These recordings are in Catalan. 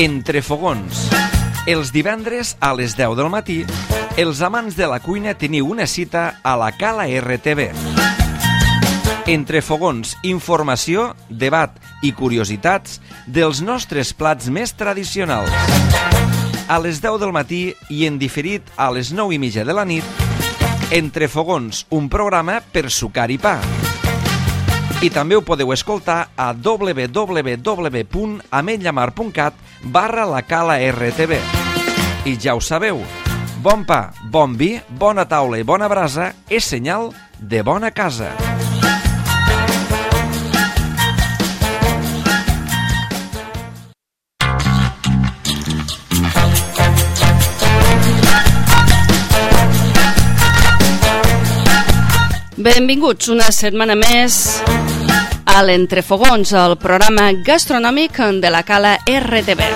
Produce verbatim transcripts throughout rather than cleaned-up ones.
Entre fogons. Els divendres a les deu del matí, els amants de la cuina teniu una cita a la Cala R T V. Entre fogons, informació, debat i curiositats dels nostres plats més tradicionals. A les deu del matí i en diferit a les nou i mitja de la nit, Entre fogons, un programa per sucar i pa. I també ho podeu escoltar a w w w punt ametlllamar punt cat barra la Cala R T V. I ja ho sabeu, bon pa, bon vi, bona taula i bona brasa és senyal de bona casa. Benvinguts una setmana més a l'Entrefogons, el programa gastronòmic de la Cala R T V.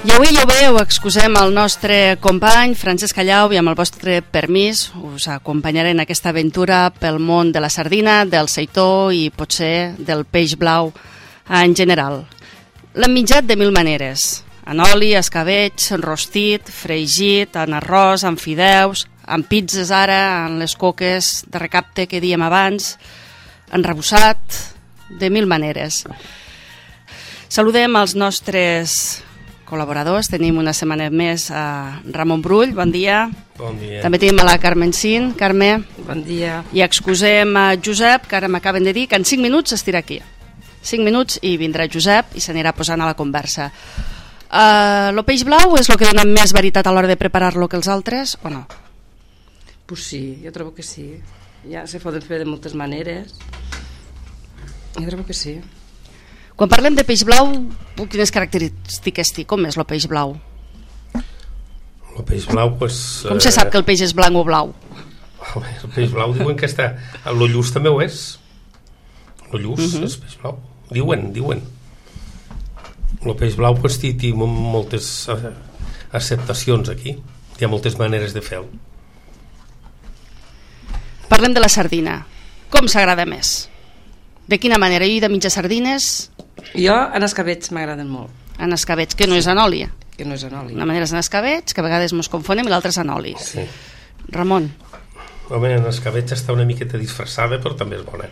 I avui ja ho veieu, excusem el nostre company Francesc Callau i amb el vostre permís us acompanyaré en aquesta aventura pel món de la sardina, del seitó i potser del peix blau en general. L'hem menjat de mil maneres, en oli, escabeig, rostit, fregit, en arròs, en fideus, en pizzas ara, en les coques de recapte que dèiem abans, enrebossat, de mil maneres. Saludem els nostres col·laboradors. Tenim una setmana més a Ramon Brull, bon dia. Bon dia. També tenim a la Carmen Cin. Carme. Bon dia. I excusem a Josep, que ara m'acaben de dir que en cinc minuts estirà aquí. cinc minuts i vindrà Josep i s'anirà posant a la conversa. Uh, lo peix blau és el que dona més veritat a l'hora de preparar-lo que els altres, o no? Pues sí, jo trobo que sí. Ja se poden fer de moltes maneres. Jo trobo que sí. Quan parlem de peix blau, quines característiques té? Com és el peix blau? El peix blau, pues... Com se sap que el peix és blanc o blau? El peix blau diuen que està... El lluç també ho és. El lluç uh -huh. és peix blau. Diuen, diuen. El peix blau, pues, té, té moltes acceptacions aquí. Hi ha moltes maneres de fer-ho. Parlem de la sardina. Com s'agrada més? De quina manera? Jo he de menjar sardines... Jo en escabeig m'agraden molt. En escabeig, que no és en oli. Que no és en oli. Una manera és en escabeig, que a vegades mos confonem, i l'altra és en oli. Sí. Ramon. Home, en escabeig està una miqueta disfressada, però també és bona.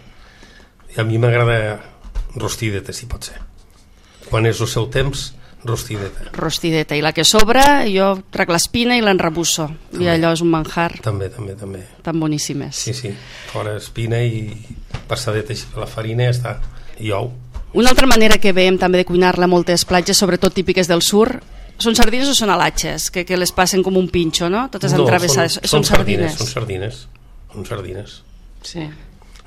I a mi m'agrada rostideta, si pot ser. Quan és el seu temps, rostideta. Rostideta. I la que sobra, jo trec l'espina i l'enrebusso. I allò és un manjar. També, també, també. Tan boníssimes. Sí, sí. Fora espina i passadeta així per la farina i ja està. I ou. Una altra manera que veiem també de cuinar-la a moltes platges, sobretot típiques del sur, són sardines o són alatxes? Que, que les passen com un pinxo, no? Totes no, entravessades. Són, són, són sardines. Són sardines. Són sardines. Sí.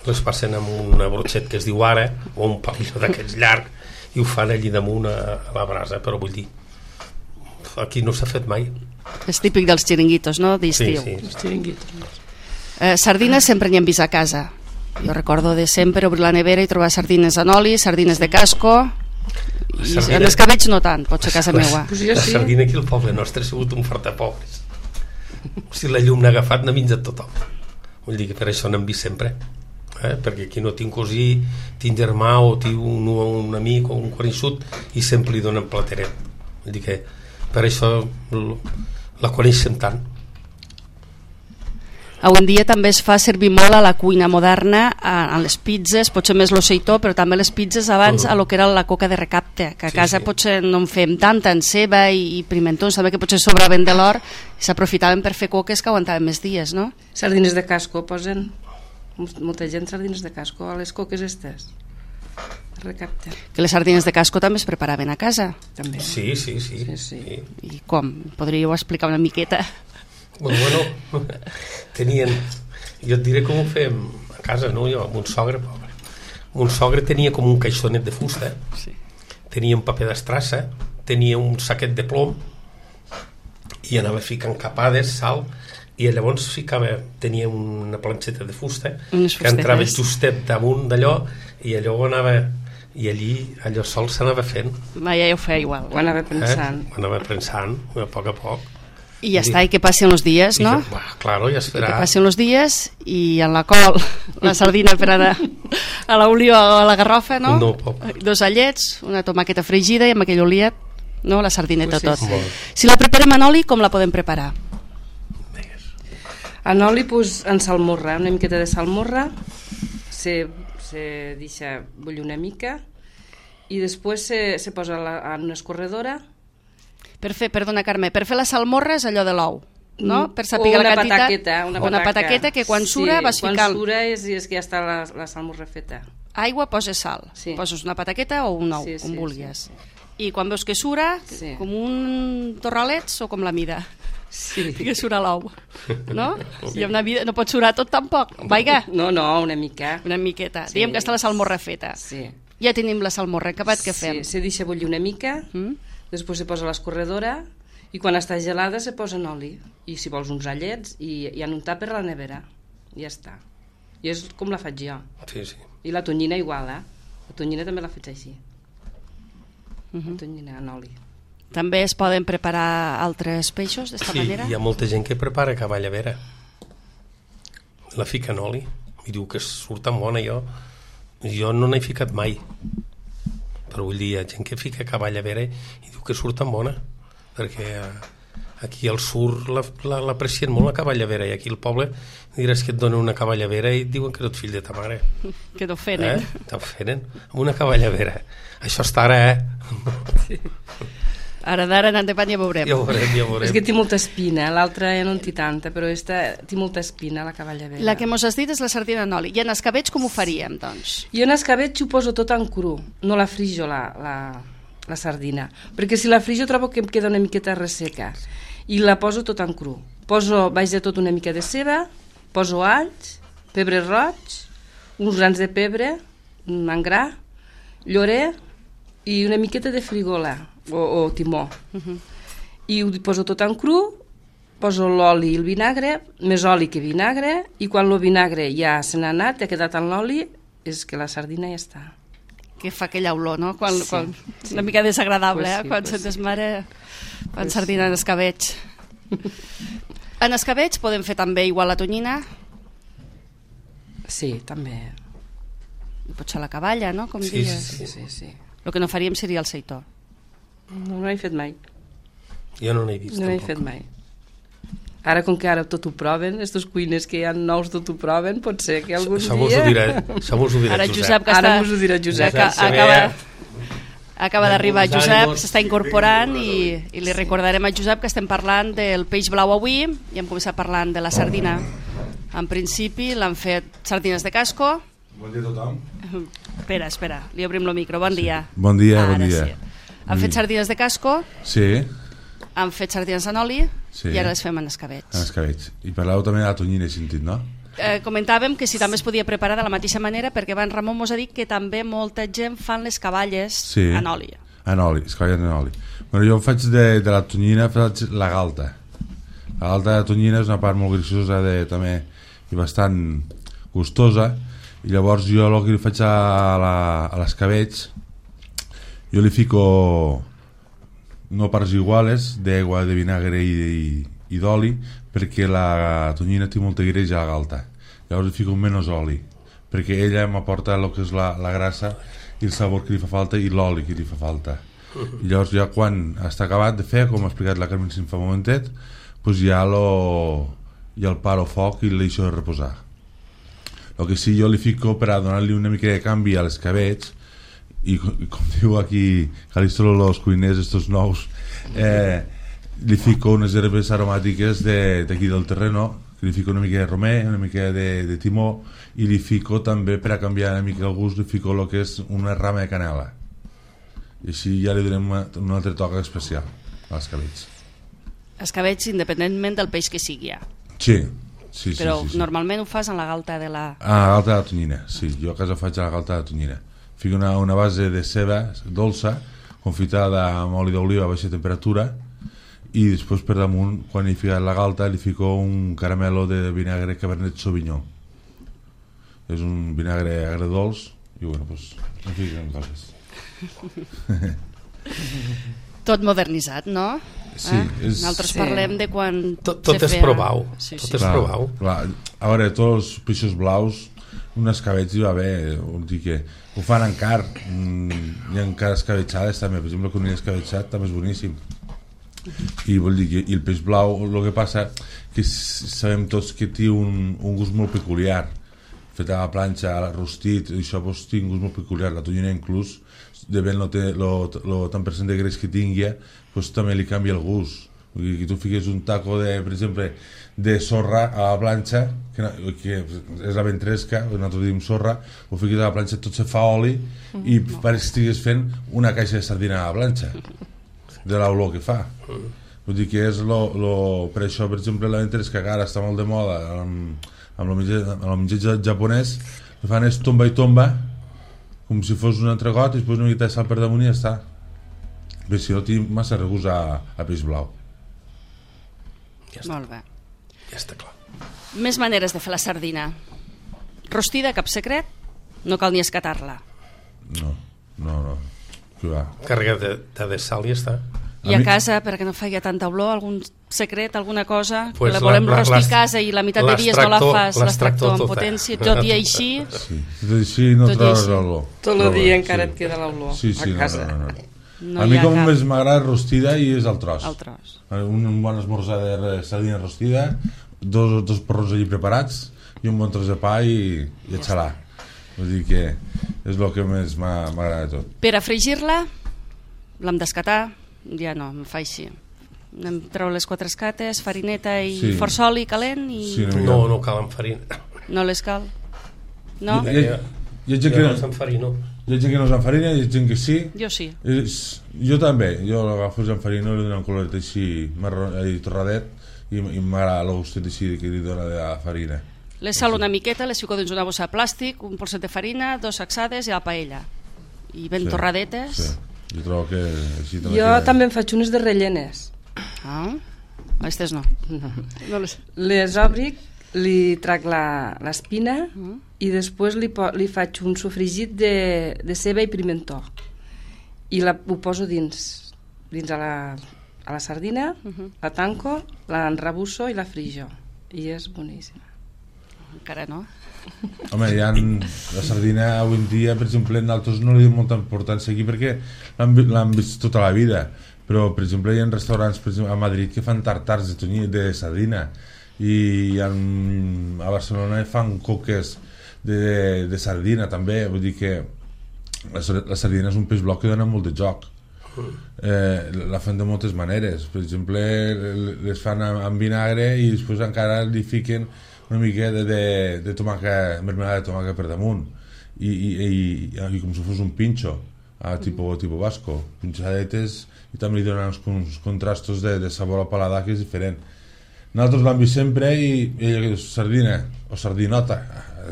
Les passen amb una brotxet que es diu ara, o un palillo d'aquests llarg, i ho fan allí damunt a, a la brasa, però vull dir, aquí no s'ha fet mai. És típic dels xiringuitos, no? D'estiu. Sí, sí. Els xiringuitos. Eh, sardines sempre n'hi hem vist a casa. Jo recordo de sempre obrir la nevera i trobar sardines en oli, sardines de casco, i sardina... en escabeig no tant, pot ser a casa meua. Pues la sí. sardina aquí al poble nostre ha sigut un fort de pobres. Si la llum n'ha agafat, n'ha menjat tothom. Vull dir que per això n'hem vist sempre. Eh? Perquè aquí no tinc cosí, tinc germà o tinc un, un amic o un coneixut i sempre li donen plateret. Vull dir que per això la coneixem tant. Avui en dia també es fa servir molt a la cuina moderna, a, a les pizzas, potser més l'oceitó, però també les pizzas abans uh-huh. a lo que era la coca de recapte, que a sí, casa sí. potser no en fem tanta, en ceba i, i pimentons, també que potser sobraven de l'or i s'aprofitaven per fer coques que aguantaven més dies, no? Sardines de casco posen molta gent, sardines de casco a les coques estes. Recapte. Que les sardines de casco també es preparaven a casa. També. Sí, sí, sí. sí, sí. sí. I com? Podríeu explicar una miqueta? Bueno, bueno, tenien... Jo et diré com ho fèiem a casa, no? Jo, amb un sogre, pobre. Un sogre tenia com un caixonet de fusta, sí. Tenia un paper d'estrassa, tenia un saquet de plom i anava ficant capades, sal, i llavors ficava, tenia una planxeta de fusta que entrava justet damunt d'allò i allò anava... i allí allò sol s'anava fent. Va, ja ho feia igual. Ho anava pensant. Eh? Ho anava pensant, a poc a poc. I ja està, i que passin els dies, no? Ja, bah, claro, ja esperar. I que passin els dies i en la col, la sardina per anar a l'oliva o a la garrofa, no? No, pop. Dos allets, una tomaqueta fregida i amb aquell oliet, no? La sardineta Pues sí, tot. sí. Si la preparem en oli, com la podem preparar? En oli, pues, en salmorra, una miqueta de salmorra, se, se deixa bullir una mica i després se, se posa la, en una escorredora. Per fer, perdona Carme, per fer la salmorra és allò de l'ou, no? Per saber o una la quantitat. pataqueta, una, una pataqueta que quan sura sí, vas quan ficant sura és, és que ja està la, la salmorra feta. aigua, poses sal, Sí. poses una pataqueta o un ou, Sí, com sí, vulguis. sí, I quan veus que sura, Sí. com un torralets o com la mida? Sí. Que sura l'ou, no? I una vida no pot surar tot tampoc. Vaiga, No, no, una mica. una miqueta. Sí. Diguem que està la salmorra feta. Sí. Ja tenim la salmorra, acabat, què fem? Sí, se deixa bullir una mica, Mm? després se posa a l'escorredora i quan està gelada se posa en oli. I si vols uns allets i, i en un tàper a la nevera. I ja està. I és com la faig jo. Sí, sí. I la tonyina igual, eh? La tonyina també la faig així. Mhm. La tonyina en oli. També es poden preparar altres peixos d'esta Sí, manera? hi ha molta gent que prepara cavalla vera. La fica en oli i diu que surt tan bona. Jo, jo no n'he ficat mai. Però vull dir, hi ha gent que fica cavalla vera i diu que surt tan bona. Perquè eh, aquí al sur la- la- l'aprecien molt la cavalla vera i aquí al poble diràs que et donen una cavalla vera i et diuen que no ets fill de ta mare. Que t'ofenen. Eh? T'ofenen amb una cavalla vera. Això està ara, eh? Ara d'ara anant de pan ja veurem. Ja ho veurem, ja ho veurem. És que té molta espina, l'altra ja no en té tanta, però esta té molta espina, la cavalla vera. La que mos has dit és la sardina en oli. I en escabets com ho faríem, doncs? Jo en escabetx ho poso tot en cru, no la frijo la, la, la sardina, perquè si la frijo trobo que em queda una miqueta resseca i la poso tot en cru. Poso, vaig de tot una mica de ceba, poso alls, pebre roig, uns grans de pebre, en gra, llorer i una miqueta de frigola o, o timó. Uh-huh. I ho poso tot en cru, poso l'oli i el vinagre, més oli que vinagre, i quan el vinagre ja se n'ha anat, ha quedat en l'oli, és que la sardina ja està. Que fa aquella olor, no? Quan, Sí. quan, una mica desagradable, Pues eh? sí, Quan pues sentes sí. mare, quan Pues sardina en escabets. En escabets podem fer també igual la tonyina, Sí, també. i potser la cavalla, no? Com Sí, dius. Sí, sí, sí. El que no faríem seria el seitó. No, no he fet mai. Jo no n'he vist, No he tampoc. fet mai. Ara, com que ara tot ho proven, estos cuiners que hi ha nous tot ho proven, pot ser que algun Això mos ho dia... dirà, això mos ho dirà Ara Josep. Josep, que Ara està... mos ho dirà Josep. Aca Josep acaba, Sever. acaba d'arribar Benvolguts Josep, ànimos. s'està incorporant i, i li recordarem a Josep que estem parlant del peix blau avui i hem començat parlant de la sardina. En principi l'han fet sardines de casco. Bon dia a tothom. Espera, espera, li obrim el micro. Bon dia. Bon dia, Ara bon dia. sí. Han fet sardines de casco, Sí, han fet sardines en oli Sí. i ara les fem en en escabets. escabets. I parlàveu també de la tonyina, he sentit, no? Eh, comentàvem que si també es podia preparar de la mateixa manera perquè abans Ramon mos ha dit que també molta gent fan les cavalles Sí. en oli. En oli, escaballes en oli. Bueno, jo faig de, de la tonyina, faig la galta. La galta de tonyina és una part molt graciosa de, també i bastant gustosa, i llavors jo el que li faig a la- a l'escabetx, jo li fico no parts iguales d'aigua, de vinagre i, i, i d'oli, perquè la tonyina té molta greix a la galta. Llavors li fico menys oli, perquè ella m'aporta el que és la, la grassa i el sabor que li fa falta i l'oli que li fa falta. I llavors ja quan està acabat de fer, com ha explicat la Carmen fa un momentet, doncs ja, lo, ja el paro a foc i el deixo de reposar. El que sí, jo li fico per a donar-li una mica de canvi a l'escabetx, i com, i com diu aquí Calistro los cuiners estos nous, eh, li fico unes herbes aromàtiques d'aquí de, del terreno, li fico una mica de romer, una mica de, de timó, i li fico també, per a canviar una mica el gust, li fico el que és una rama de canela, i així ja li donem una, un altre toc especial a l'escabetx. Escabets independentment del peix que sigui ja. Sí, sí, sí, Però sí, sí. normalment ho fas en la galta de la... Ah, la galta de tonyina, sí, jo a casa faig la galta de tonyina. Fico una, una base de ceba dolça, confitada amb oli d'oliva a baixa temperatura, i després per damunt, quan he ficat la galta, li fico un caramelo de vinagre Cabernet Sauvignon. És un vinagre agredolç, i bueno, doncs, en fiquen coses. Tot modernitzat, no? Sí, eh? és... Nosaltres Sí. parlem de quan... Tot, tot se és feia- provau. Sí, Tot sí. és provau. Clar, a veure, tots els peixos blaus, un escabetx hi va haver, vol dir que ho fan encara, mm, hi ha encara escabetxades també, per exemple, el conill escabetxat també és boníssim. I vol dir que i el peix blau, el que passa que s- sabem tots que té un, un gust molt peculiar, fet a la planxa, a la rostit, i això pues, té un gust molt peculiar, la tonyina inclús, depèn el tant per cent de greix que tingui, pues, també li canvia el gust. Vull dir, que tu fiques un taco de, per exemple, de sorra a la planxa, que, no- que és la ventresca, nosaltres diem sorra, ho fiques a la planxa, tot se fa oli i pareix que estigues fent una caixa de sardina a la planxa de l'olor que fa. Vull dir que és lo, lo, per això, per exemple, la ventresca que ara està molt de moda amb, amb el menjar, amb el menjar ja- japonès, el que fan és tomba i tomba com si fos un entregot i després una mica de sal per damunt i ja està. Bé, si no tinc massa regust a, a peix blau. Ja està, Molt bé. ja està clar. Més maneres de fer la sardina. Rostida, cap secret, no cal ni escatar-la. No, no, no. Que va. Carregat de, de, de sal i ja està. I A a mi- casa, perquè no faci tanta olor, algun secret, alguna cosa, Pues que la la- volem la- rostir a l'est- casa i la meitat de dies no la l'extractor- fas, l'extractor en l'extractor potència, tota. tot i així, Sí. Tot i així no Tot i trobes així. l'olor. Tot el Trobes, dia encara sí. et queda l'olor Sí, sí, a no, casa. no, no, no. no a hi mi ha com cap... més m'agrada rostida i és el tros. El tros. Un, un bon esmorzar de re- sardina rostida, dos, dos porrons allí preparats i un bon tros de pa i, i a xalar. Vull dir que és el que més m'ha- m'agrada de tot. Per a fregir-la, l'hem d'escatar, ja no, em fa així. Anem a treure les quatre escates, farineta i Sí. força oli calent i Sí, no. No, no cal amb farina. no les cal. No? Hi ha, hi ha gent Jo que no no, s'enfarino. hi ha gent que no s'enfarina, hi ha gent que sí. Jo sí. És, jo també, jo l'agafo en farina, li dono un coloret així marró, i torradet i, i m'agrada el gustet així que li dona de la farina. Les salo una miqueta, les fico dins una bossa de plàstic, un polset de farina, dos sacsades i a la paella. I ben Sí, torradetes. Sí. Jo trobo que així també Jo queda- també en faig unes de rellenes. Ah, aquestes no. no les... Les obric, li trac la- l'espina Mm. i després li, po li faig un sofregit de, de ceba i pimentó i la, ho poso dins dins a la, a la sardina, Mhm. la tanco, la enrebusso i la frijo i és boníssima. Encara no. Home, hi ha la sardina avui en dia, per exemple, nosaltres no li donem molta importància aquí perquè l'han vi- l'han vist tota la vida, però per exemple hi ha restaurants per exemple, a Madrid que fan tartars de, tonyí, de sardina i hi ha, a Barcelona fan coques de, de, de sardina també, vull dir que la, sar- la sardina és un peix blau que dona molt de joc. Eh, la fan de moltes maneres, per exemple les fan amb, amb vinagre i després encara li fiquen una mica de, de, de tomàquet, mermelada de tomàquet per damunt i, i, i, i com si fos un pinxo a tipo, tipo vasco, pinxadetes i també li donen uns, uns contrastos de, de sabor al paladar que és diferent. Nosaltres l'hem vist sempre i ella que diu sardina o sardinota,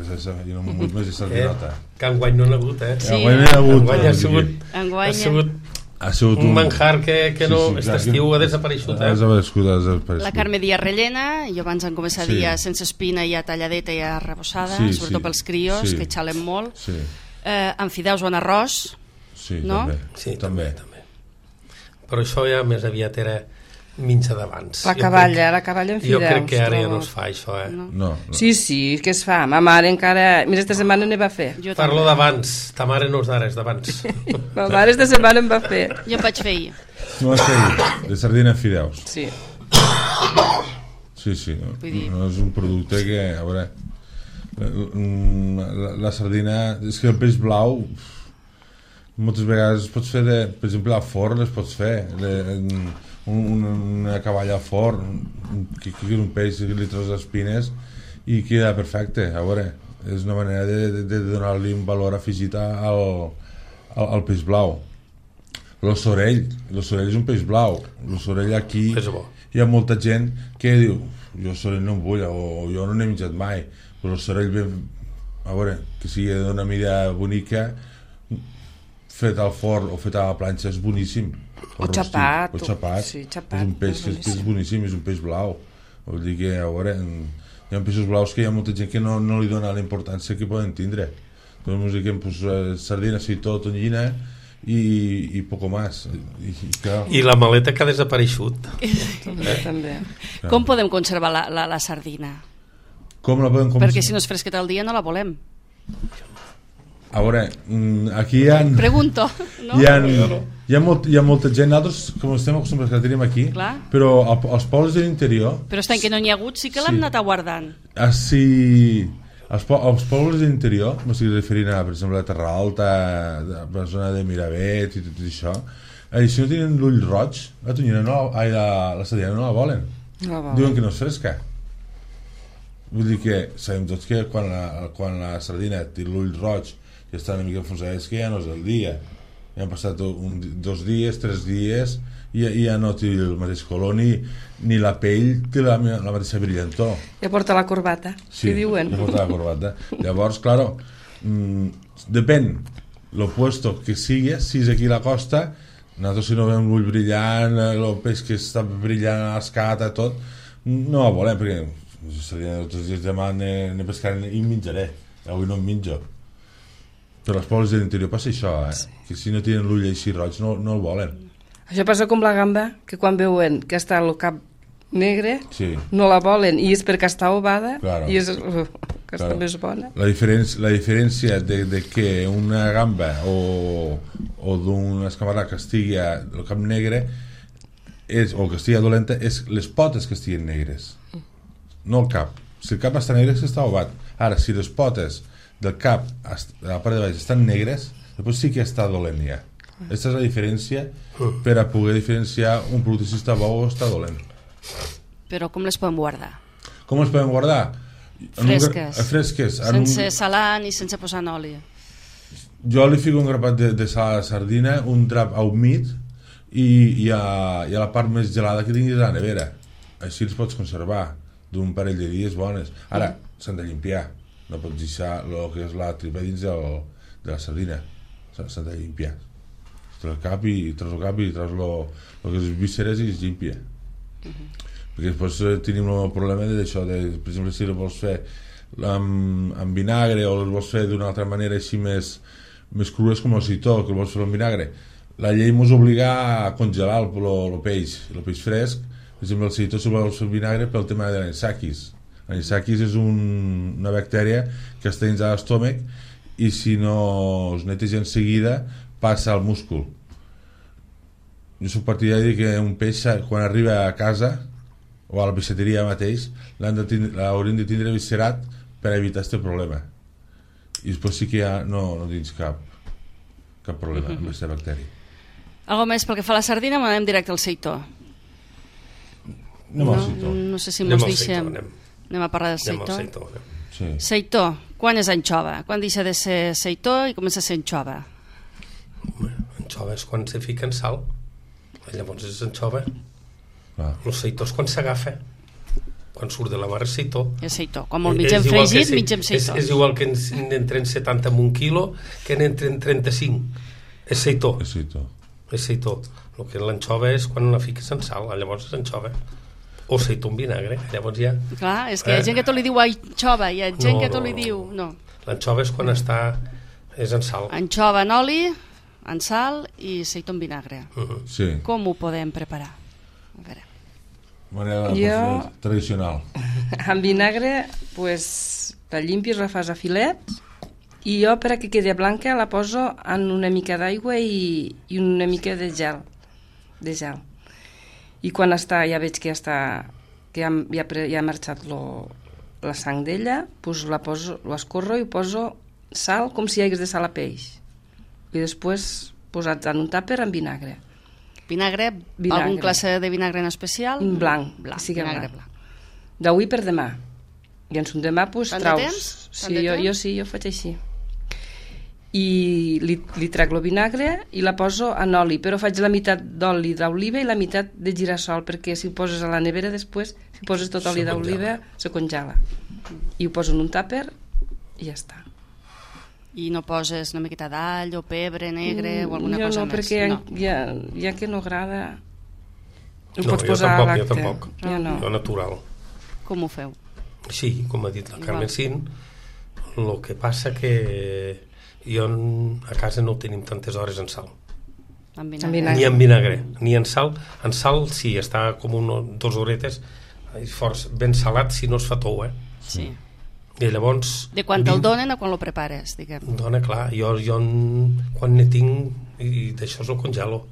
és, és, jo no m'ho vull més de sardinota. Eh? Que enguany no n'ha hagut, eh? Sí. Enguany n'hi ha hagut, Enguany ha vull dir sigut, que Enguany ha sigut ha sigut un manjar que, que Sí, no, sí, aquest clar, estiu que- ha desapareixut, ha eh? desaparegut, ha desaparegut. La Carme Díaz rellena, jo abans en començar Sí. dia sense espina i a talladeta i a rebossada, Sí, sobretot sí. pels crios, Sí. que xalen molt. Sí, Eh, amb fideus o en arròs, sí, No? també. Sí, també. també. Però això ja més aviat era minxa d'abans. La Jo caballa, crec- la caballa en Jo fideus. crec que ara ja trobo. no es fa això, eh? no? No, no. Sí, sí, que es fa. Ma mare encara... Mira, esta setmana ne va fer. Jo Parlo també. d'abans, ta mare no és d'ara, és d'abans. Ma mare esta setmana en va fer. Jo em vaig fer ahir. No vas fer de sardina en fideus. Sí. Sí, sí. No, Vull dir- no és un producte que, a veure, la, la, la sardina... És que el peix blau moltes vegades es pots fer de, per exemple, al forn les pots fer de, un, una, una cavalla al forn que, que és un peix que li treus les espines i queda perfecte. A veure, és una manera de, de, de donar-li un valor afegit al, al, al peix blau. L'ossorell, l'ossorell és un peix blau. L'ossorell aquí És bo. hi ha molta gent que diu jo l'ossorell no em vull o jo no n'he menjat mai, però l'ossorell ben, a veure, que sigui d'una mida bonica fet al forn o fet a la planxa és boníssim. O rostit, xapat, o xapat. sí, xapat, És un peix és que és, que és boníssim, és un peix blau. Vol dir que, a veure, hi ha peixos blaus que hi ha molta gent que no, no li dona la importància que poden tindre. Doncs us diguem, pues, eh, sardina, seitó, tonyina i, i poco más. I, i, clar, I la maleta que ha desapareixut. També, també. Com podem conservar la, la, la sardina? com la podem... Com Perquè si no és fresqueta al dia no la volem. A veure, mm, aquí hi ha... Pregunto, no? Hi ha, hi ha, molt, hi ha molta gent, nosaltres com estem acostumats que la tenim aquí, Clar. però al, als pobles de l'interior... Però està en què no n'hi ha hagut, sí que l'hem Sí. anat aguardant. Ah, sí, als, po als pobles de l'interior, m'estic referint a, per exemple, a Terra Alta, a la zona de Miravet i tot això, eh, si no tenen l'ull roig, la tonyina no, ai, la, la sardina no la volen. No la volen. Diuen que no és fresca. Vull dir que sabem tots que quan la, quan la sardina té l'ull roig i està una mica enfonsada, és que ja no és el dia. Ja han passat un, dos dies, tres dies, i, i ja no té el mateix color, ni, ni la pell té la, la mateixa brillantor. Ja porta la corbata, Sí, que diuen. ja porta la corbata. Llavors, claro, mmm, depèn lo puesto que sigui, si és aquí a la costa, nosaltres si no veiem l'ull brillant, el peix que està brillant a l'escata, tot, no la volem, perquè seria tots els dies demà ne pescaré i menjaré, avui no em menjo. Però als pobles de l'interior passa això, eh? Sí. Que si no tenen l'ull així roig no, no el volen. Això passa com la gamba, que quan veuen que està el cap negre, Sí. no la volen, i és perquè està ovada, Claro. i és uh, que està Claro. més bona. La diferència, la diferència de, de que una gamba o, o d'un escamarà que estigui el cap negre és, o que estigui dolenta és les potes que estiguin negres, no el cap. Si el cap està negre és que està ovat. Ara, si les potes del cap a la part de baix estan negres, després sí que està dolent ja. Aquesta és la diferència per a poder diferenciar un producte si està bo o està dolent. Però com les podem guardar? Com els podem guardar? En un gra- Fresques. eh, fresques. En un- Sense salar ni sense posar en oli. Jo li fico un grapat de, de sal a la sardina, un drap a humit i, i, a, i a la part més gelada que tinguis a la nevera. Així els pots conservar d'un parell de dies bones. Ara, s'han de limpiar. No pots deixar el que és la tripa dins del, de la sardina. S'han de limpiar. Treus el cap i treus el cap i treus lo, lo que és vísceres i es limpia. Perquè després eh, tenim el problema d'això, de, per exemple, si el vols fer amb, amb vinagre o el vols fer d'una altra manera així més, més crues com el citó, que el vols fer amb vinagre, la llei mos obliga a congelar el, el, el peix, el peix fresc. Per exemple, el citó si el vols fer amb vinagre pel tema de l'anisakis. L'anisakis és un, una bactèria que està dins de l'estómac i si no es neteja en seguida passa al múscul. Jo soc partidari que un peix quan arriba a casa o a la peixateria mateix l'haurem de tindre viscerat per evitar aquest problema, i després sí que ja no, no tens cap cap problema amb aquesta bactèria. Algo més pel que fa a la sardina, anem directe al seitó. Anem no, al seitó. no sé si Anem mos al deixem. seitó, anem. Anem a parlar del Anem al seitó. seitó, anem. Sí. Seitó, quan és anxova? Quan deixa de ser seitó i comença a ser anxova? Anxova és quan se fica en sal. Llavors és anxova. Clar. El seitó és quan s'agafa. Quan surt de la mar és seitó. És seitó. Com el És mitjem igual que fregit, si- mitjem seitó. És, és igual que n'entren setanta en un quilo que n'entren trenta-cinc. És seitó. El seitó. És seitó. El que l'anxova és quan la fiques en sal. Llavors és anxova. O seitó amb vinagre. Llavors ja... Clar, és que hi ha Eh? gent que tot li diu anxova, hi ha gent No, que tot no, li no. diu... No. L'anxova és quan està... És en sal. Anxova en oli, en sal i seitó en vinagre. Uh-huh. Sí. Com ho podem preparar? A veure. Manera Jo- tradicional. Amb vinagre, pues, la limpies, la fas a filets, i jo, per a que quedi blanca, la poso en una mica d'aigua i, i una mica de gel. De gel. I quan està, ja veig que ja està, que ja, ja, pre- ja ha marxat lo, la sang d'ella, pues la poso, l'escorro i poso sal com si hi hagués de sal a peix. I després posats en un tàper amb vinagre. Vinagre, Vinagre. algun classe de vinagre en especial? Blanc, blanc que sigui vinagre blanc. blanc. D'avui per demà. I en son demà, pues, Tant de traus. temps? Tant Sí, de jo, temps? jo sí, jo faig així. I li, li trec el vinagre i la poso en oli, però faig la meitat d'oli d'oliva i la meitat de girassol, perquè si ho poses a la nevera després, si poses tot oli Se d'oliva, se congela. I ho poso en un tàper i ja està. I no poses una miqueta d'all o pebre negre o alguna jo cosa no, més? perquè No. ja, ja que no agrada... Ho No, pots jo posar tampoc, a jo l'acte. tampoc. Jo no. Jo natural. Com ho feu? Sí, com ha dit la Igual. Carmen Sin, el que passa que jo en- a casa no tenim tantes hores en sal. Amb Amb vinagre. Ni amb vinagre, ni en sal. En sal, sí, està com uno, dos horetes forts, ben salat, si no es fa tou, eh? Sí. I llavors... De quan te'l donen a quan lo prepares, diguem. Dona, clar, jo, jo en- quan ne tinc, i d'això el congelo.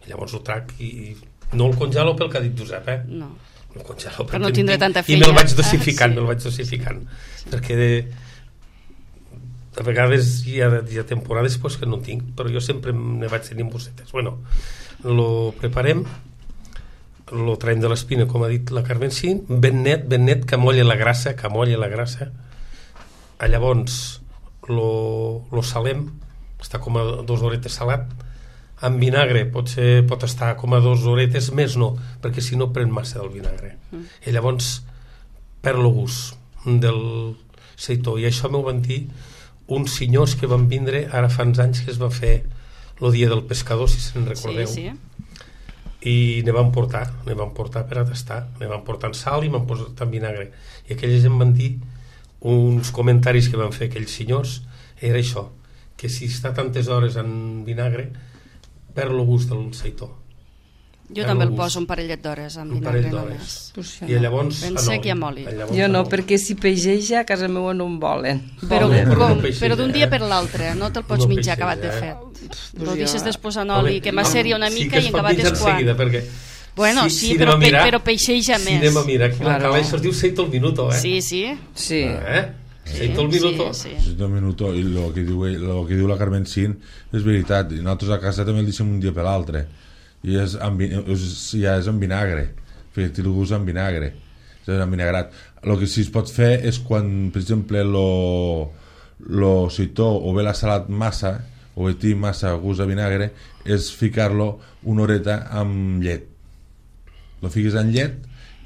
I llavors ho trac i... No el congelo pel que ha dit Josep, eh? No. El congelo Per no perquè en tindre tinc, tanta I me'l feina. vaig dosificant, Ah, sí. me'l vaig dosificant. Perquè de, a vegades hi ha, hi ha temporades pues, que no en tinc, però jo sempre ne vaig tenir en bossetes. Bueno, lo preparem, lo traiem de l'espina, com ha dit la Carmen Cint, ben net, ben net, que molla la grassa, que molla la grassa. A llavors lo, lo salem, està com a dos horetes salat, amb vinagre pot, ser, pot estar com a dos horetes, més no, perquè si no pren massa del vinagre. Mm. I llavors perd el gust del seitó. I això m'ho van dir uns senyors que van vindre ara fa uns anys que es va fer el dia del pescador, si se'n recordeu. Sí, sí. I ne van portar, ne van portar per a tastar, ne van portar en sal i m'han posat en vinagre. I aquells em van dir uns comentaris que van fer aquells senyors, era això, que si està tantes hores en vinagre perd el gust del seitó. Jo Perd també el el gust. poso un parell d'hores amb Un parell vinagre d'hores. només. Pues jo I no. llavors Ben en sec i oli. amb oli. Llavors Jo en no, oli. perquè si peixeja a casa meva no em volen. Però, Volen, però com, no peixeja, però d'un dia eh? per l'altre, no te'l pots No menjar peixeja, acabat de eh? fet. Pues Lo jo- deixes després en Home, oli, que m'asseria una sí mica que i es en pot acabat menjar és quan. seguida, perquè Bueno, si, sí, si però, anem a pe, mirar, però peixeja si més. anem a mirar, aquí Claro. la cala això es diu seito al minuto, eh? Sí, sí. Sí. Eh? Seito al minuto. Sí, sí. Sí, un minuto, i el que diu, ell- lo que diu la Carmen Cint és veritat, i nosaltres a casa també el deixem un dia per l'altre, i és amb, vi- és, ja és amb vinagre, perquè el gust amb vinagre, és amb vinagrat. El que sí es pot fer és quan, per exemple, lo, lo seitó o bé la salat massa, o bé té massa gust a vinagre, és ficar-lo una horeta amb llet. Lo fiques en llet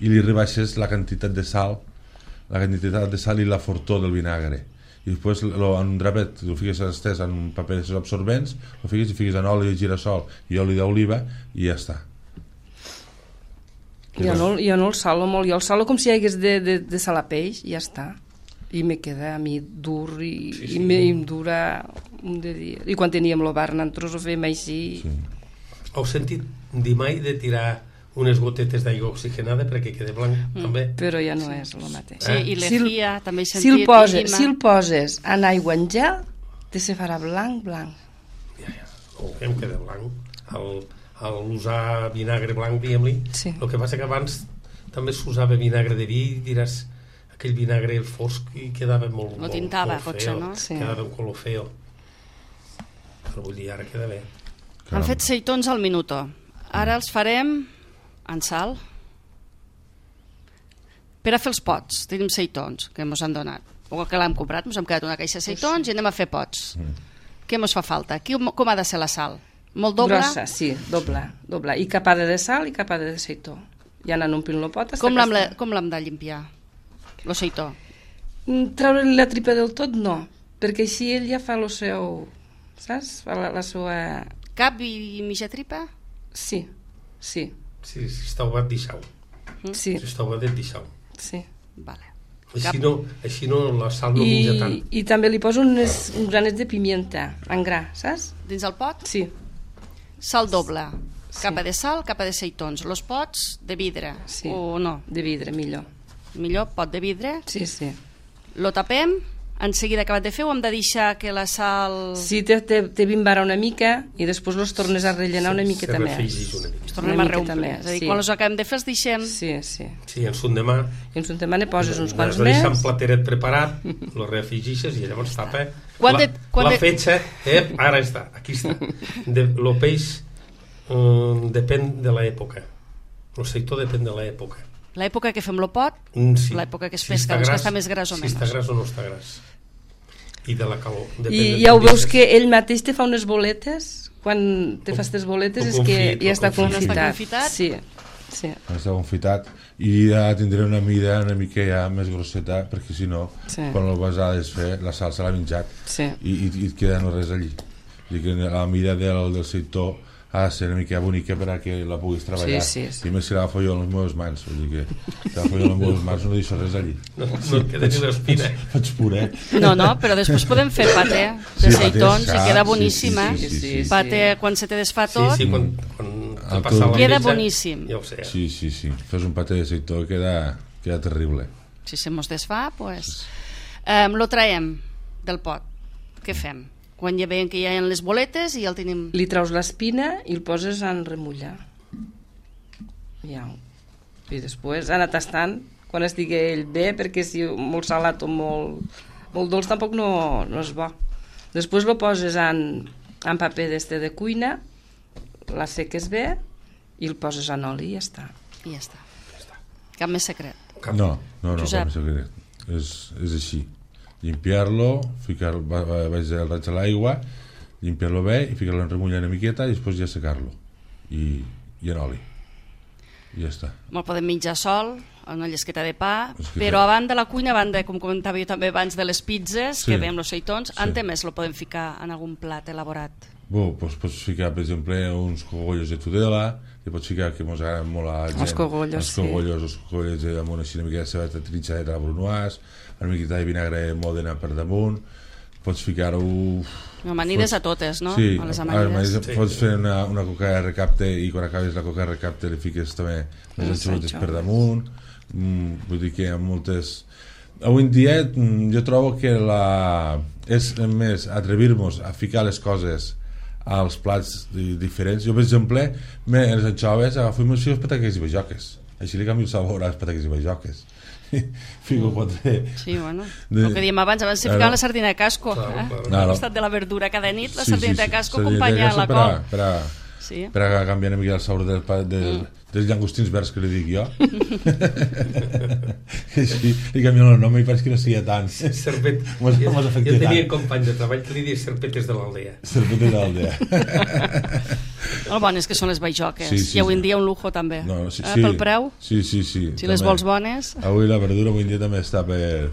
i li rebaixes la quantitat de sal, la quantitat de sal i la fortor del vinagre, i després lo, en un drapet lo fiques estès en un paper absorbents, lo fiques i fiques en oli de girassol i oli d'oliva i ja està. Jo no, jo no el salo molt, jo el salo com si hi hagués de, de, de salar peix i ja està. I me queda a mi dur i, Sí, sí. i, me, i em dura un de dia. I quan teníem lo bar nosaltres ho fèiem així. Sí. Heu sentit dir mai de tirar unes gotetes d'aigua oxigenada perquè quede blanc, Mm. també? Però ja no és el mateix. Sí, i Eh? l'efia, també he Si sentit. el, poses, i si el poses en aigua en gel, te se farà blanc, blanc. Ja, ja, no, em queda blanc. Al, al usar vinagre blanc, diguem-li, Sí. el que passa que abans també s'usava vinagre de vi, i diràs aquell vinagre fosc i quedava molt, Lo molt, tintava, molt potser, feo, no? Sí. quedava un color feo, però vull dir, ara queda bé. Han fet seitons al minuto. Ara els farem en sal. Per a fer els pots, tenim seitons que ens han donat. O que l'hem comprat, ens hem quedat una caixa de seitons i anem a fer pots. Què ens fa falta? Aquí, com ha de ser la sal? Molt doble? Grossa, sí, doble, doble. I capada de sal i capada de seitó. Ja anant omplint el pot. hasta Com que l'hem està. com l'hem de limpiar? Lo seitó. Mm, Treure-li la tripa del tot, no. Perquè així ell ja fa el seu... Saps? Fa la, la seva... Cap i mitja tripa? Sí, sí, Si, si està obert, deixau. sí, Si està obert, deixau. sí. Vale. Així Cap. no, així no la sal no menja tant. I, I també li poso unes, uns granets de pimienta en gra, saps? Dins el pot? Sí, Sal doble. Sí. Capa de sal, capa de seitons. Los pots de vidre. Sí. O no? de vidre, millor. Millor pot de vidre. Sí, sí. Lo tapem, en seguida acabat de fer, o hem de deixar que la sal... Sí, te, te, te bimbara una mica i després los tornes a rellenar una miqueta se més. refregeix una mica. Es tornem una a miqueta reomplir. més, És a dir, sí. quan els acabem de fer els deixem... Sí, sí. Sí, en son demà I en son tema ne poses uns quants has de deixar un més. plateret preparat, lo refregeixes i llavors tapa. Quan la, de- quan la de- fetge, eh, ara està, aquí està. De, lo peix um, depèn de l'època. El sector depèn de l'època. L'època que fem lo pot, Mm, sí. l'època que es Si pesca, està doncs que gras, està més gras o si menys. està gras o no està gras. I de la calor. Depèn I del ja ho que veus deixes. que ell mateix te fa unes boletes, quan te Com- fas tes boletes com és que confit, ja està com confit. confitat. Està confitat? Sí, sí. Està confitat i ja tindré una mida una mica ja més grosseta, perquè si no, Sí. quan el vas a desfer la salsa l'ha menjat Sí. i, i, i et queda no res allí. O sigui que la mida del, del sector ha de ser una mica bonica perquè la puguis treballar. Sí, sí, sí. I més si l'agafo jo amb les meves mans, vull dir que si l'agafo jo amb les meves mans no deixo res allí. No, no et queda ni l'espina. Faig puré. No, no, però després podem fer paté de Sí, seitons paté, i queda sí, boníssim, sí, eh? sí, sí, sí. Paté, quan se te desfa tot, Sí, sí, quan, quan Ah, te passa la queda metge, boníssim. Ja ho sé. Sí, sí, sí. Fes un paté de seitó i queda, queda terrible. Si se mos desfà, pues, eh, lo traiem del pot. Què fem? Quan ja veiem que hi ha les boletes i ja el tenim... Li traus l'espina i el poses en remullar. Ja. I després anar tastant quan estigui ell bé, perquè si molt salat o molt, molt dolç tampoc no, no és bo. Després lo poses en, en paper d'este de cuina, la seques bé i el poses en oli i ja està. I ja està. Cap més secret. Cap. No, no, no, Josep. com secret. És, és així. Limpiar-lo, ficar baix del raig a l'aigua, limpiar-lo bé i ficar-lo en remullar una miqueta i després ja secar-lo. I, i en oli. I ja està. Me'l podem menjar sol, una llesqueta de pa, Llesqueta. però a banda de la cuina, a banda, com comentava jo també abans, de les pizzas, Sí. que veiem els seitons, Sí. ante més lo podem ficar en algun plat elaborat. Bo, doncs pots ficar, per exemple, uns cogollos de tudela, li pots ficar, que mos agraden molt a la gent. Els cogollos, els cogollos, els cogollos de damunt, així una mica de cebeta trinxadeta a la brunoise, una miqueta de vinagre de Mòdena per damunt, pots ficar-ho... Amanides a totes, no? Sí, A les a amanides. més, pots fer una, una coca de recapte i quan acabes la coca de recapte li fiques també les Els anxovetes per anxoves. damunt. Mm, vull dir que hi ha moltes... Avui en dia mm, jo trobo que la... és més atrevir-nos a ficar les coses als plats di- diferents. Jo, per exemple, me, les anxoves agafo i les pataques i bajoques. Així li canvio el sabor a les pataques i bajoques. Fico quatre... Sí, bueno, De- el que diem abans, abans se Claro. ficava la sardina de casco, Claro, eh? claro. Al Claro. costat de la verdura cada nit, la Sí, sardina sí, de sí. casco Sardina de acompanya la casco col. Per a, per a, Sí. per a canviar una mica el sabor del, pa- del, mm. dels llangostins verds que li dic jo. Així li canvio el nom i pareix que no sigui tant. Serpet. Mos- Jo, mos jo afecta tenia tant. company de treball que li deia serpetes de l'aldea. Serpente d'aldea. El bon és que són les bajoques, Sí, sí, i avui en sí. dia un lujo també. No, sí, eh? sí. Pel preu, Sí, sí, sí. si les també. vols bones... Avui la verdura avui en dia també està per,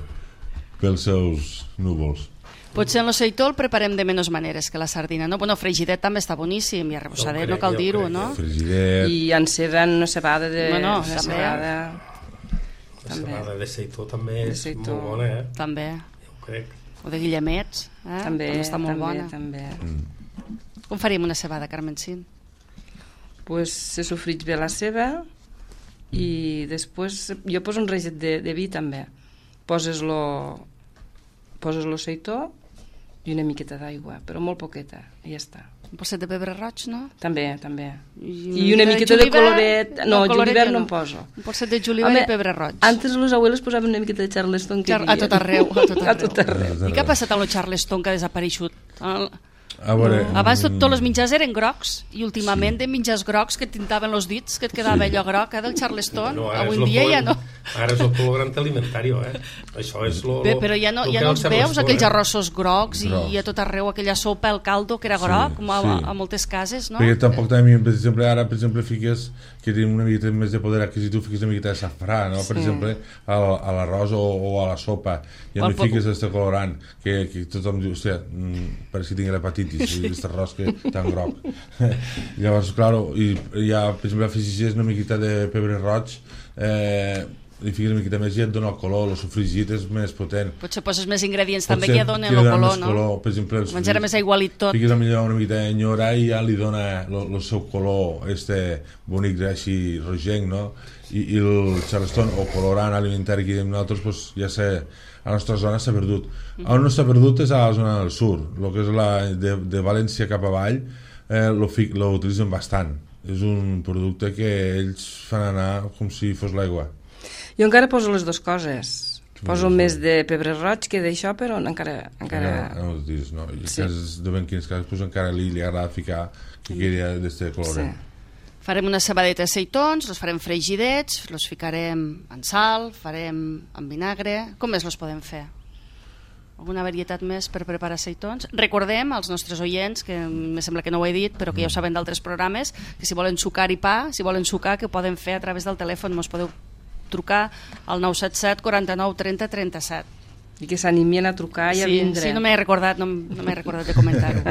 pels seus núvols. Potser en l'oceitó el preparem de menys maneres que la sardina, no? Bueno, fregidet també està boníssim, i arrebossadet Jo no cal crec, jo dir-ho, crec, no? Frigidet. I en ceba, en una cebada de... Bueno, una també. cebada... La També. cebada de seitó també De és seitó. molt bona, eh? També. Jo ho crec. O de guillemets, eh? També, està molt també, bona. també. Com faríem una cebada, Carmencín? Pues se sofrits bé la ceba i després jo poso un reget de, de vi també. Poses lo poses lo seitó i una miqueta d'aigua, però molt poqueta, i ja està. Un posset de pebre roig, no? També, també. I I una miqueta de julivert? coloret. No, coloret julivert ja no en poso. Un posset de julivert Home, i pebre roig. Antes los abuelos posaven una miqueta de charleston que Char- hi havia. a tot arreu, a tot arreu. A tot arreu. I què ha passat amb el Charleston que ha desapareixut? El... A veure, Abans tot, mm, tots els menjars eren grocs i últimament de menjars grocs que tintaven els dits, que et quedava Sí. allò groc, eh, del Charleston. No, ara Avui és en lo dia ja color- no. Ara és el colorant alimentari, eh? Això és lo, Bé, lo, però ja no, lo ja que no el els Charleston, veus, aquells eh? arrossos grocs, Grocs. i a tot arreu aquella sopa, el caldo, que era groc, com a, sí. a moltes cases, no? Perquè tampoc també, per exemple, ara, per exemple, fiques que tenim una miqueta més de poder adquisitiu, fiques una miqueta de safrà, no? Per Sí. exemple, al- a l'arròs o, o a la sopa, i O al no po- fiques este colorant, que, que tothom diu, hòstia, mm, pareix que tingui l'hepatitis, aquest arròs que tan groc. Llavors, claro, i ja, per exemple, afegeixes una miqueta de pebre roig, eh, li fiques una miqueta més i et dona el color, el sofregit és més potent. Potser poses més ingredients també Potser que ja donen que el donen color, més no? color. Per exemple, els Menjar més aigualit tot. fiques millor una miqueta de nyora i ja li dona el seu color este bonic així rogenc, no? I, i el Charleston o colorant alimentari que diem nosaltres pues, ja sé, a la nostra zona s'ha perdut. Mm. On no s'ha perdut és a la zona del sud, el que és la, de, de València cap avall, eh, lo, fi, lo utilitzen bastant. És un producte que ells fan anar com si fos l'aigua. Jo encara poso les dues coses. Poso Sí. més de pebre roig que d'això, però encara... encara... No, no, dius, no. I Sí. cases de ben quins casos pues, encara li, li agrada ficar que queria d'este colorant. Sí. Farem una cebadeta de seitons, els farem fregidets, els ficarem en sal, farem en vinagre... Com més els podem fer? Alguna varietat més per preparar seitons? Recordem als nostres oients, que me sembla que no ho he dit, però que ja ho saben d'altres programes, que si volen sucar i pa, si volen sucar, que ho poden fer a través del telèfon. Mos podeu trucar al nou set set quaranta-nou trenta trenta-set. I que s'animien a trucar i a Sí, vindre. sí, no m'he recordat, no, no m'he recordat de comentar-ho.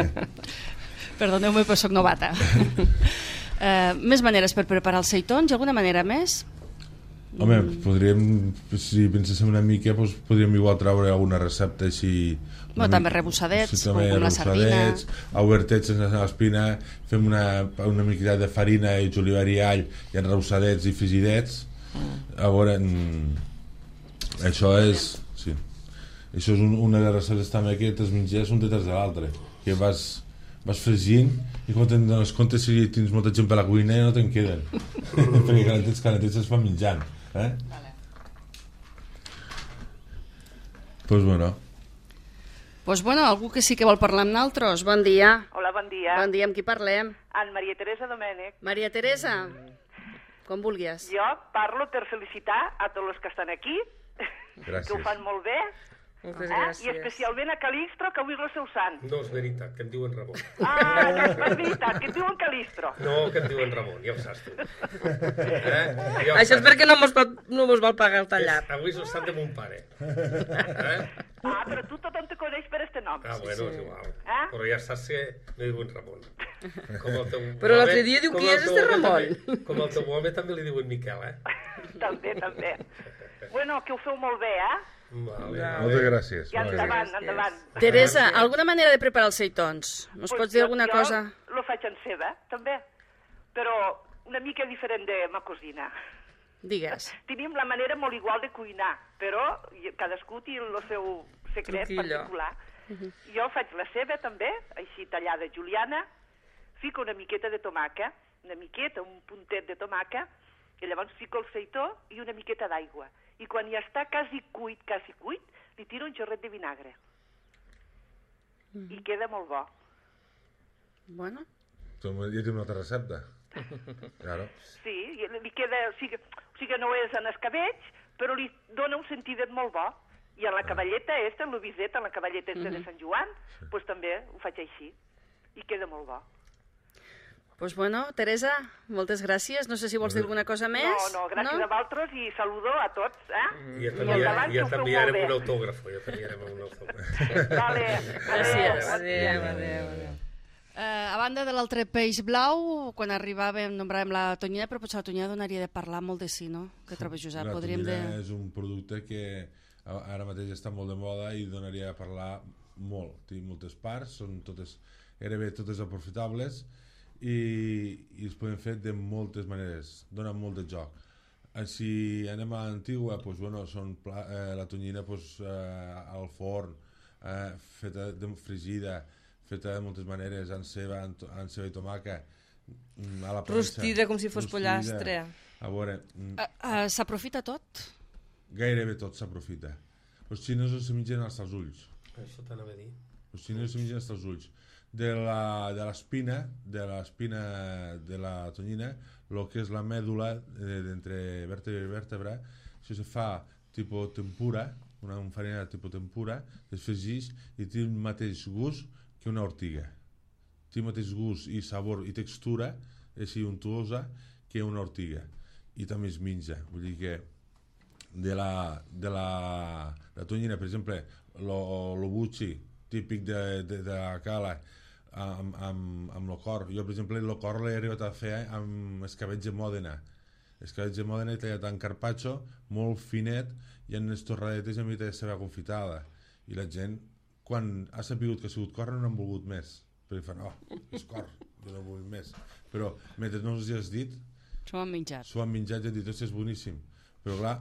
Perdoneu-me, però soc novata. uh, més maneres per preparar els seitons? Alguna manera més? Home, podríem, si penséssim una mica, doncs podríem igual treure alguna recepta així... Bueno, també rebussadets, sí, també com la sardina. Obertets sense l'espina, fem una, una mica de farina i julivert i all, i en rebussadets i fregidets. Mm. A veure, mm, això és... Sí. Això és un, una de les receptes també que els mengers un detrás de l'altre, que vas, vas fregint i quan te'n dones compte si tens molta gent per la cuina ja no te'n queden. Perquè calentets, calentets es fan menjant. Eh? Vale. Pues bueno. Pues bueno, algú que sí que vol parlar amb naltros. Bon dia. Hola, bon dia. Bon dia, amb qui parlem? En Maria Teresa Domènech. Maria Teresa, com vulguis. Jo parlo per felicitar a tots els que estan aquí, Gràcies. que ho fan molt bé, Moltes eh? gràcies. I especialment a Calixtro, que avui és el seu sant. No és veritat, que em diuen Ramon. Ah, no és veritat, que et diuen Calixtro. No, que em diuen Ramon, ja ho saps tu. Eh? Ja ho Això és saps. perquè no mos, pot, no mos vol pagar el tallat. És, avui és el sant de mon pare. Eh? Ah, però tu tothom te coneix per este nom. Ah, bueno, és igual. Eh? Però ja saps que me diuen Ramon. Com el teu Però l'altre home- dia diu, com qui el és teu este home Ramon? també- Com el teu home també li diuen Miquel, eh? També, també. Bueno, que ho feu molt bé, eh? Vale, Moltes gràcies. I moltes endavant, gràcies. endavant. Teresa, alguna manera de preparar els seitons? Nos Pues pots dir jo- alguna jo cosa? lo faig en ceba, també, però una mica diferent de ma cosina. Digues. Tenim la manera molt igual de cuinar, però cadascú té el seu secret Truquillo. particular. Jo faig la ceba també, així tallada juliana, fico una miqueta de tomàquet, una miqueta, un puntet de tomàquet, i llavors fico el seitó i una miqueta d'aigua. I quan ja està quasi cuit, quasi cuit, li tiro un xorret de vinagre. I queda molt bo. Bueno, Tu ja tens una altra recepta. Claro. Sí, i li queda, o sigui, o sigui, no és en escabetx, però li dona un sentidet molt bo. I en la cavalleta esta, en l'obiseta, en la cavalleta esta de Sant Joan, doncs també ho faig així. I queda molt bo. pues bueno, Teresa, moltes gràcies. No sé si vols dir alguna cosa més. No, no, gràcies a vosaltres i saludo a tots, eh? I ja I endavant, que ja ho feu t'enviarem molt un bé. autògrafo, ja t'enviarem un autògrafo. Vale, Gràcies. Adéu, adéu, adéu. Uh, a banda de l'altre peix blau, quan arribàvem nombràvem la tonyina, però potser la tonyina donaria de parlar molt de si, no? Què trobes, Josep? La Podríem tonyina de... és un producte que a- ara mateix està molt de moda i donaria a parlar molt. Té moltes parts, són totes, gairebé totes aprofitables i, i es poden fer de moltes maneres, donen molt de joc. Eh, Si anem a l'antigua, doncs, bueno, són pla, eh, la tonyina doncs, eh, al forn, eh, feta de fregida, feta de moltes maneres, amb ceba, amb, to- amb ceba i tomàquet, mm, a la planxa. Rostida, com si fos Rostida. pollastre. A veure, mm, Uh, uh, S'aprofita tot? gairebé tot s'aprofita. Els xinesos se mengen hasta els ulls. Això t'anava a dir. Els xinesos se mengen hasta els ulls. De la- de l'espina, de l'espina de la tonyina, el que és la mèdula eh, d'entre vèrtebra i vèrtebra, això se fa tipus tempura, una farina tipus tempura, es fregeix i té el mateix gust que una ortiga. Té el mateix gust i sabor i textura, així untuosa, que una ortiga. I també es menja. Vull dir que de la, de la, la tonyina, per exemple, lo, lo bucci, típic de, de, de la cala, amb, amb, amb el cor. Jo, per exemple, el cor l'he arribat a fer amb escabetx de Mòdena. Escabetx de Mòdena tallat en carpaccio, molt finet, i en les torradetes amb mica de ceba confitada. I la gent, quan ha sabut que ha sigut cor, no n'han volgut més. Perquè fan, oh, és cor, jo no vull més. Però, mentre no us hi has dit, S'ho han menjat. s'ho han menjat i han dit, és boníssim. Però, clar,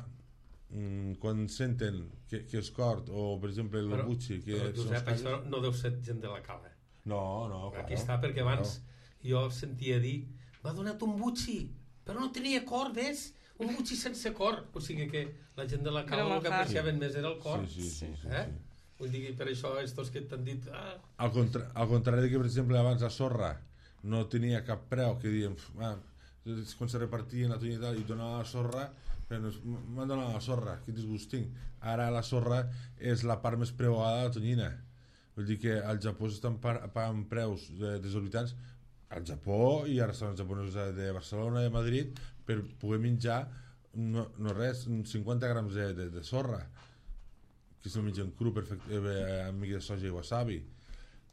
mm, quan senten que, que és cort, o, per exemple, el Però, bucci, que però són Josep, els això no deu ser gent de la cala. No, no, claro. Aquí està, perquè abans jo sentia dir m'ha donat un butxi, però no tenia cor, ves? Un butxi sense cor. O sigui que la gent de la cala Era el que manjar. apreciaven més era el cor. Sí, sí, sí, sí, eh? sí. Vull dir que per això estos que t'han dit ah, Al, contra, al contrari que, per exemple, abans la sorra no tenia cap preu, que diem, ah, és quan se repartien la tonyina i donava la sorra, però m'han donat la sorra, quin disgust tinc. Ara la sorra és la part més preuada de la tonyina. Vull dir que al Japó s'estan pa- pagant preus eh, desorbitants al Japó i a restaurants japonesos de Barcelona i de Madrid per poder menjar no, no res, cinquanta grams de, de, de sorra, que se'l mengen cru perfecte, eh, amb mica de soja i wasabi.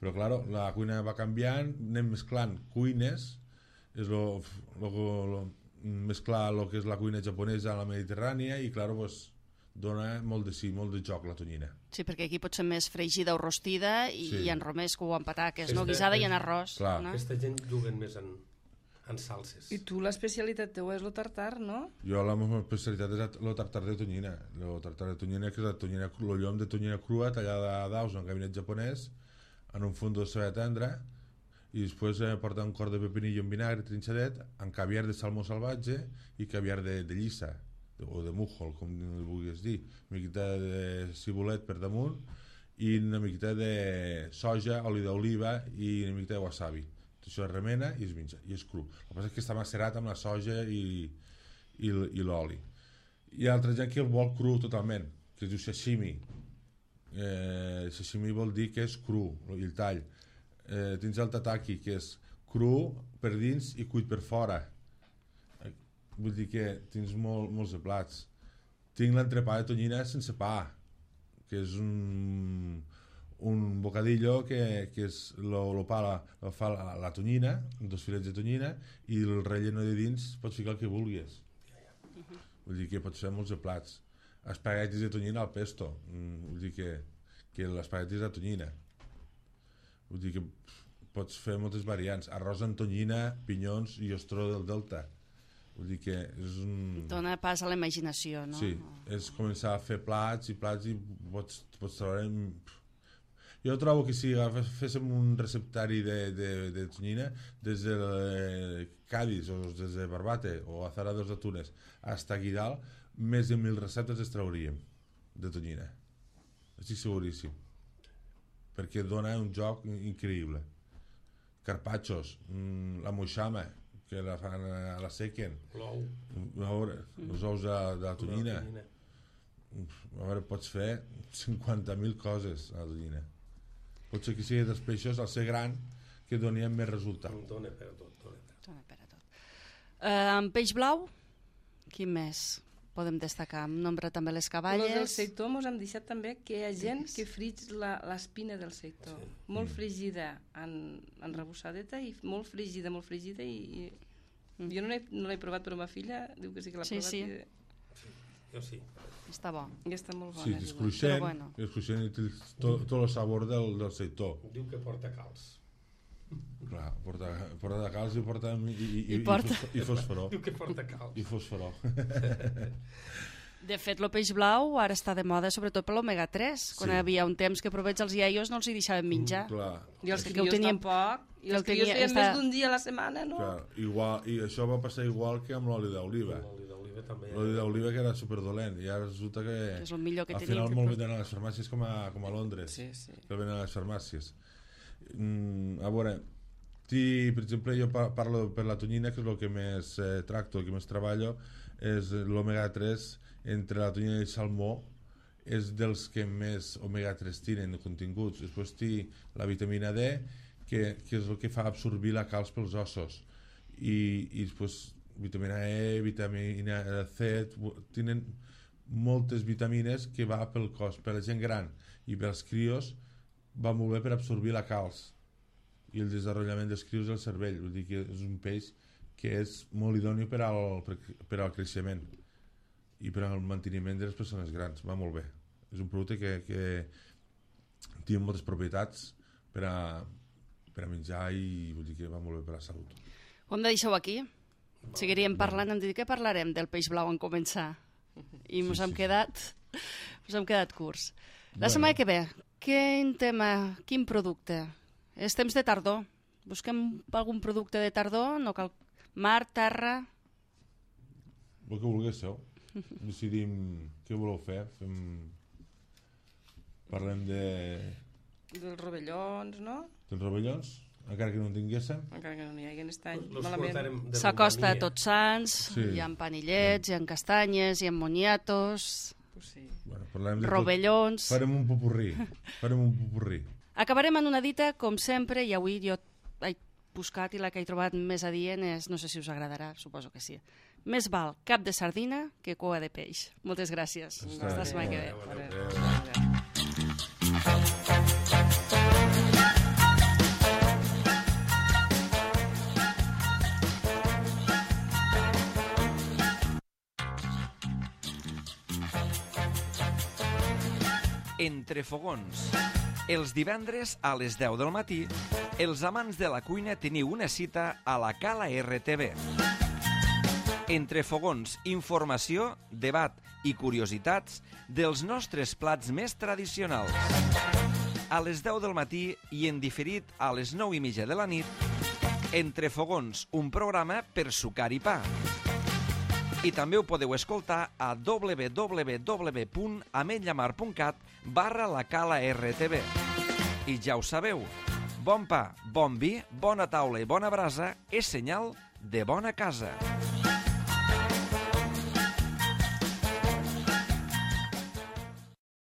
Però, clar, la cuina va canviant, anem mesclant cuines, és lo, lo, lo, mesclar el que és la cuina japonesa a la mediterrània i, clar, pues, dona molt de sí, molt de joc la tonyina. Sí, perquè aquí pot ser més fregida o rostida i, Sí. i en romesco o en pataques, Aquesta no? Guisada és- i en arròs. Clar. No? Aquesta gent juguen més en, en salses. I tu, l'especialitat teva és el tartar, no? Jo la meva especialitat és el tartar de tonyina. El tartar de tonyina, que és la tonyina, el llom de tonyina crua tallada a daus en gabinet japonès, en un fond de ceba tendra, i després eh, porta un cor de pepinillo en vinagre trinxadet, amb caviar de salmó salvatge i caviar de, de llissa, o de mújol, com li vulguis dir, una miqueta de cibulet per damunt i una miqueta de soja, oli d'oliva i una miqueta de wasabi. Tot això es remena i es menja, i és cru. El que passa és que està macerat amb la soja i, i, i l'oli. Hi ha altra gent que el vol cru totalment, que es diu sashimi. Eh, sashimi vol dir que és cru, i el tall. Eh, tens el tataki, que és cru per dins i cuit per fora. Vull dir que tens molt, molts de plats. Tinc l'entrepà de tonyina sense pa, que és un, un bocadillo que, que és lo, lo pa la, lo fa la, la tonyina, dos filets de tonyina, i el relleno de dins pots ficar el que vulguis. Vull dir que pots fer molts de plats. Espaguetis de tonyina al pesto. Vull dir que, que l'espaguetis de tonyina. Vull dir que pots fer moltes variants. Arròs amb tonyina, pinyons i ostró del delta. Vull dir que és un... Dona pas a la imaginació, no? Sí, és començar a fer plats i plats i pots, pots treure... Jo trobo que si féssim un receptari de, de, de tonyina des de Cádiz o des de Barbate o Azarados de Túnez fins aquí dalt, més de mil receptes es trauríem de tonyina. Estic seguríssim. Perquè dona un joc increïble. Carpaccios, la moixama, que la fan a la sequen, L'ou. a veure, els ous de, de la tonyina. A veure, pots fer cinquanta mil coses a la tonyina. Pot ser que sigui dels peixos, al ser gran, que donien més resultat. Dona per a tot, dona per a tot. Dona per a tot. Eh, amb peix blau, quin més podem destacar? Em nombra també les Los del caballes. seitó mos hem deixat també que hi ha gent que frig la- l'espina del seitó. Sí. Molt fregida en, en rebossadeta i molt fregida, molt fregida i, i jo no l'he no l'he provat però ma filla diu que sí que l'ha Sí, provat sí. i, Jo sí. Està bo. i està molt bona. Sí, diu. és cruixent, Però bueno. és cruixent i té tot, tot el sabor del, del seitó. Diu que porta calç. Clar, porta, porta de calç i porta i, i, i, I porta. i fosforó. Diu que porta calç. I fosforó. De fet, el peix blau ara està de moda sobretot per l'omega tres. Quan Sí. hi havia un temps que provets els iaios no els hi deixaven menjar. Clar, I els Que ho crios teníem- tampoc. I que els ho crios tenia- feien està- més d'un dia a la setmana, no? clar, igual, i això va passar igual que amb l'oli d'oliva. L'oli d'oliva també. L'oli d'oliva que era superdolent i ara resulta que, Que és el millor que al tenim. final molt venen a les farmàcies com a, com a Londres, Sí, sí. que el venen a les farmàcies. Mm, a veure, ti, per exemple, jo pa- parlo per la tonyina, que és el que més eh, tracto, el que més treballo, és l'omega tres entre la tonyina i el salmó, és dels que més omega tres tenen de continguts. Després té la vitamina D, que, que és el que fa absorbir la calç pels ossos, i, i després vitamina E, vitamina C, tenen moltes vitamines que va pel cos. Per la gent gran i pels crios va molt bé per absorbir la calç i el desenvolupament dels crios del cervell. Vull dir que és un peix que és molt idoni per al, per, per al creixement i per al manteniment de les persones grans. Va molt bé. És un producte que, que té moltes propietats per a, per a menjar i vull dir que va molt bé per a la salut. Ho hem de deixar aquí. Seguiríem parlant, hem dit que parlarem del peix blau en començar. I mos Sí, hem sí. quedat mos hem quedat curts. La Bueno. setmana que ve, quin tema, quin producte? És temps de tardor. Busquem algun producte de tardor, no cal mar, terra... El que vulguéssiu. Decidim què voleu fer. Fem... Parlem de... Dels rovellons, no? dels rovellons, encara que no en tinguéssim. Encara que no n'hi hagi aquest any. Los Malament. portarem de S'acosta a Romania. Tots Sants, Sí. hi ha panillets, hi ha castanyes, hi ha moniatos, Pues sí. Bueno, parlem de rovellons... Tot. Farem un popurrí. Farem un popurrí. Acabarem en una dita, com sempre, i avui jo he buscat i la que he trobat més adient és, no sé si us agradarà, suposo que sí. Més val cap de sardina que cua de peix. Moltes gràcies. Està Fins la bé. setmana que ve. Adéu, adéu. Adéu. Adéu. Entre fogons. Els divendres a les deu del matí, els amants de la cuina teniu una cita a la Cala R T V. Entre fogons, informació, debat i curiositats dels nostres plats més tradicionals. A les deu del matí i en diferit a les nou i mitja de la nit, Entre fogons, un programa per sucar i pa. I també ho podeu escoltar a w w w punt ametlllamar punt cat barra la Cala R T V. I ja ho sabeu, bon pa, bon vi, bona taula i bona brasa és senyal de bona casa.